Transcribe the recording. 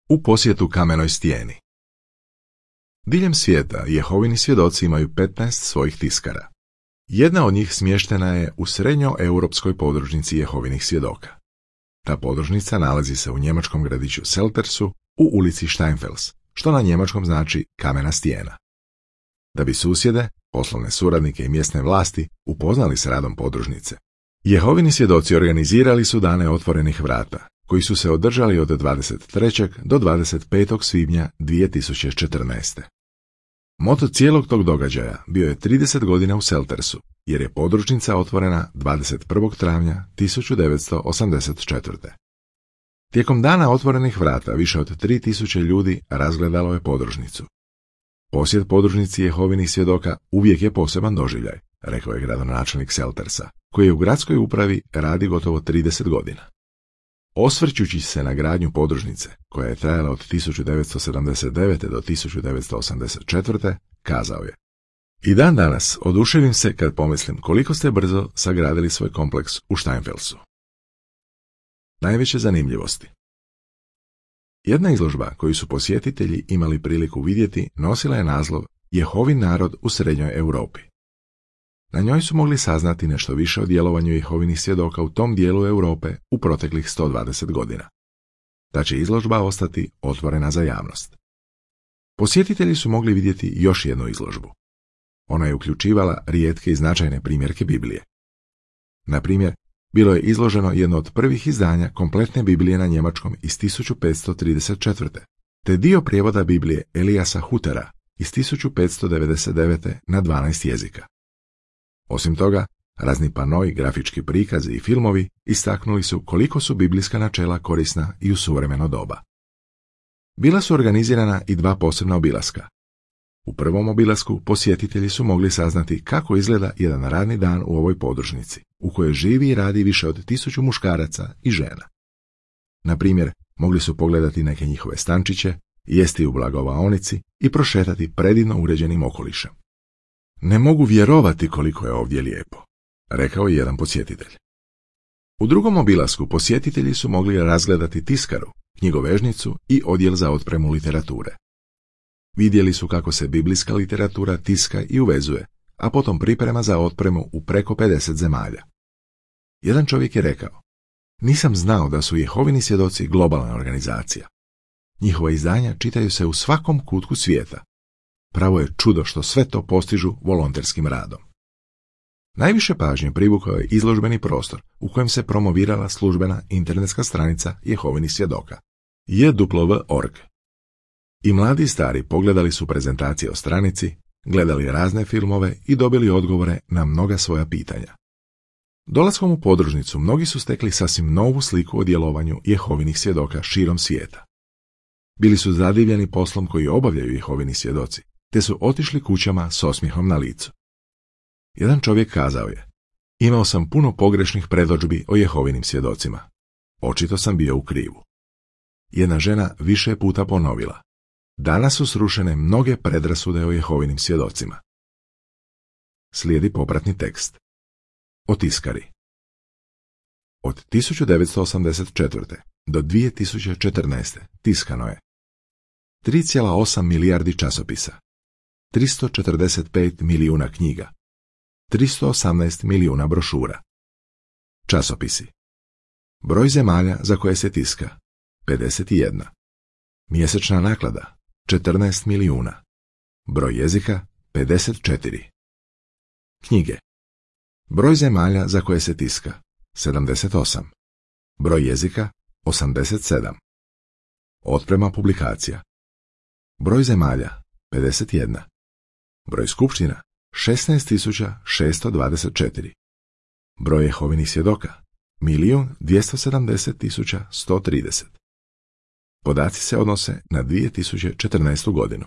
U posjetu kamenoj stijeni. Diljem svijeta Jehovini svjedoci imaju 15 svojih tiskara. Jedna od njih smještena je u srednjoeuropskoj podružnici Jehovinih svjedoka. Ta podružnica nalazi se u njemačkom gradiću Seltersu u ulici Steinfels, što na njemačkom znači kamena stijena. Da bi susjede, poslovne suradnike i mjesne vlasti upoznali s radom podružnice, Jehovini svjedoci organizirali su dane otvorenih vrata, koji su se održali od 23. do 25. svibnja 2014. Moto cijelog tog događaja bio je 30 godina u Seltersu, jer je podružnica otvorena 21. travnja 1984. Tijekom dana otvorenih vrata više od 3000 ljudi razgledalo je podružnicu. Posjet podružnici Jehovinih svjedoka uvijek je poseban doživljaj, rekao je gradonačelnik Seltersa, koji je u gradskoj upravi radi gotovo 30 godina. Osvrćući se na gradnju podružnice, koja je trajala od 1979. do 1984. kazao je: I dan danas oduševim se kad pomislim koliko ste brzo sagradili svoj kompleks u Steinfelsu. Najveće zanimljivosti. Jedna izložba koju su posjetitelji imali priliku vidjeti nosila je naslov Jehovin narod u srednjoj Europi. Na njoj su mogli saznati nešto više o djelovanju Jehovinih svjedoka u tom dijelu Europe u proteklih 120 godina. Ta će izložba ostati otvorena za javnost. Posjetitelji su mogli vidjeti još jednu izložbu. Ona je uključivala rijetke i značajne primjerke Biblije. Na primjer, bilo je izloženo jedno od prvih izdanja kompletne Biblije na njemačkom iz 1534. te dio prijevoda Biblije Eliasa Hutera iz 1599. na 12 jezika. Osim toga, razni panoi, grafički prikazi i filmovi istaknuli su koliko su biblijska načela korisna i u suvremeno doba. Bila su organizirana i dva posebna obilaska. U prvom obilasku posjetitelji su mogli saznati kako izgleda jedan radni dan u ovoj podružnici, u kojoj živi i radi više od 1000 muškaraca i žena. Na primjer, mogli su pogledati neke njihove stančiće, jesti u blagovaonici i prošetati predivno uređenim okolišem. Ne mogu vjerovati koliko je ovdje lijepo, rekao je jedan posjetitelj. U drugom obilasku posjetitelji su mogli razgledati tiskaru, knjigovežnicu i odjel za otpremu literature. Vidjeli su kako se biblijska literatura tiska i uvezuje, a potom priprema za otpremu u preko 50 zemalja. Jedan čovjek je rekao: Nisam znao da su Jehovini svjedoci globalna organizacija. Njihova izdanja čitaju se u svakom kutku svijeta. Pravo je čudo što sve to postižu volonterskim radom. Najviše pažnje privukao je izložbeni prostor u kojem se promovirala službena internetska stranica Jehovinih svjedoka, jw.org. I mladi i stari pogledali su prezentacije o stranici, gledali razne filmove i dobili odgovore na mnoga svoja pitanja. Dolaskom u podružnicu mnogi su stekli sasvim novu sliku o djelovanju Jehovinih svjedoka širom svijeta. Bili su zadivljeni poslom koji obavljaju Jehovini svjedoci, te su otišli kućama s osmijehom na licu. Jedan čovjek kazao je: Imao sam puno pogrešnih predodžbi o Jehovinim svjedocima. Očito sam bio u krivu. Jedna žena više je puta ponovila: Danas su srušene mnoge predrasude o Jehovinim svjedocima. Slijedi popratni tekst. O tiskari. Od 1984. do 2014. tiskano je 3,8 milijardi časopisa, 345 milijuna knjiga, 318 milijuna brošura. Časopisi. Broj zemalja za koje se tiska 51. Mjesečna naklada 14 milijuna. Broj jezika 54. Knjige. Broj zemalja za koje se tiska 78. Broj jezika 87. Otprema publikacija. Broj zemalja 51. Broj skupština 16.624. Broj Jehovinih svjedoka 1.270.130. Podaci se odnose na 2014. godinu.